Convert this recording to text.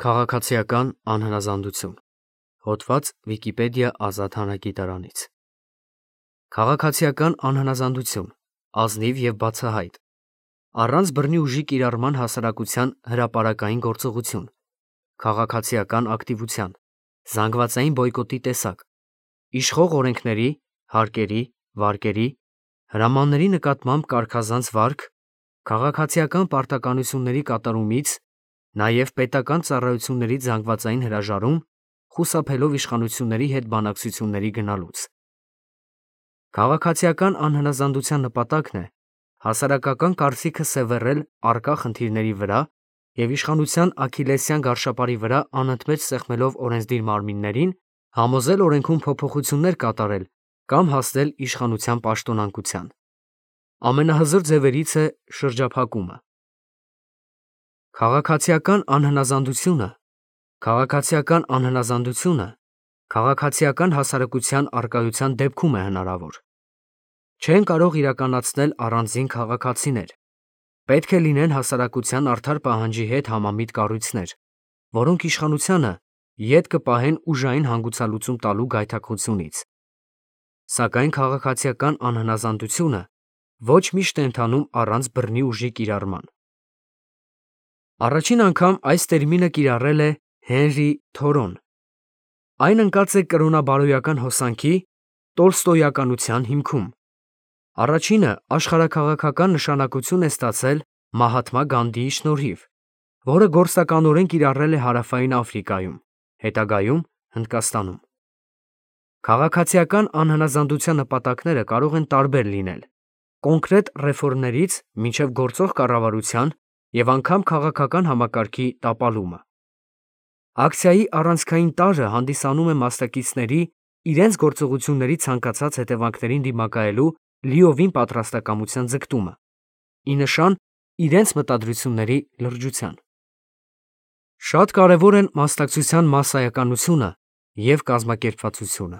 Քաղաքացիական անհնազանդություն։ Հոդված Վիկիպեդիա ազատ հանրագիտարանից։ Քաղաքացիական անհնազանդություն, ազնիվ և բացահայտ, առանց բռնի ուժի կիրառման հասարակության հրապարակային գործողություն, քաղաքացիական ակտիվության, զանգվածային բոյկոտի տեսակ, իշխող օրենքների, հարկերի, վարկերի, հրամանների նկատմամբ կարգազանց վարք, քաղաքացիական պարտականությունների կատարումից, նաև պետական ծառայություններից զանգվածային հրաժարում, խուսափելով իշխանությունների հետ բանակցությունների գնալուց։ Քաղաքացիական անհնազանդության նպատակն է հասարակական կարծիքը սևեռել առկա խնդիրների վրա և իշխանության աքիլեսյան գարշապարի վրա անընդմեջ սեղմելով օրենսդիր մարմիններին, համոզել օրենքում փոփոխություններ կատարել կամ հասնել իշխանության պաշտոնանկության։ Ամենահզոր ձևերից է շրջափակումը։ Քաղաքացիական անհնազանդությունը քաղաքացիական հասարակության առկայության դեպքում է հնարավոր։ Չեն կարող իրականացնել առանձին քաղաքացիներ, պետք է լինեն հասարակության արդար պահանջի հետ համամիտ կառույցներ, որոնք իշխանությանը ետ կպահեն ուժային հանգուցալուծում տալու գայթակղությունից։ Սակայն քաղաքացիական անհնազանդությունը ոչ միշտ է ընթանում առանց բռնի ուժի կիրառման։ Առաջին անգամ այս տերմինը կիրառել է Հենրի Թորոն։ Այն ընկած է կրոնաբարոյական հոսանքի տոլստոյականության հիմքում։ Առաջինը աշխարհաքաղաքական նշանակություն է ստացել Մահաթմա Գանդիի շնորհիվ, որը գործնականորեն կիրառել է Հարավային Աֆրիկայում, հետագայում Հնդկաստանում։ Քաղաքացիական անհնազանդության նպատակները կարող են տարբեր լինել՝ կոնկրետ ռեֆորմներից մինչև գործող կառավարության և անգամ քաղաքական համակարգի տապալումը։ Ակցիայի առանցքային տարրը հանդիսանում է մասնակիցների իրենց գործողությունների ցանկացած հետևանքներին դիմակայելու լիովին պատրաստակամության ձգտումը, ի նշան իրենց մտադրությունների լրջության։ Շատ կարևոր են մասնակցության մասսայականությունը և կազմակերպվածությունը։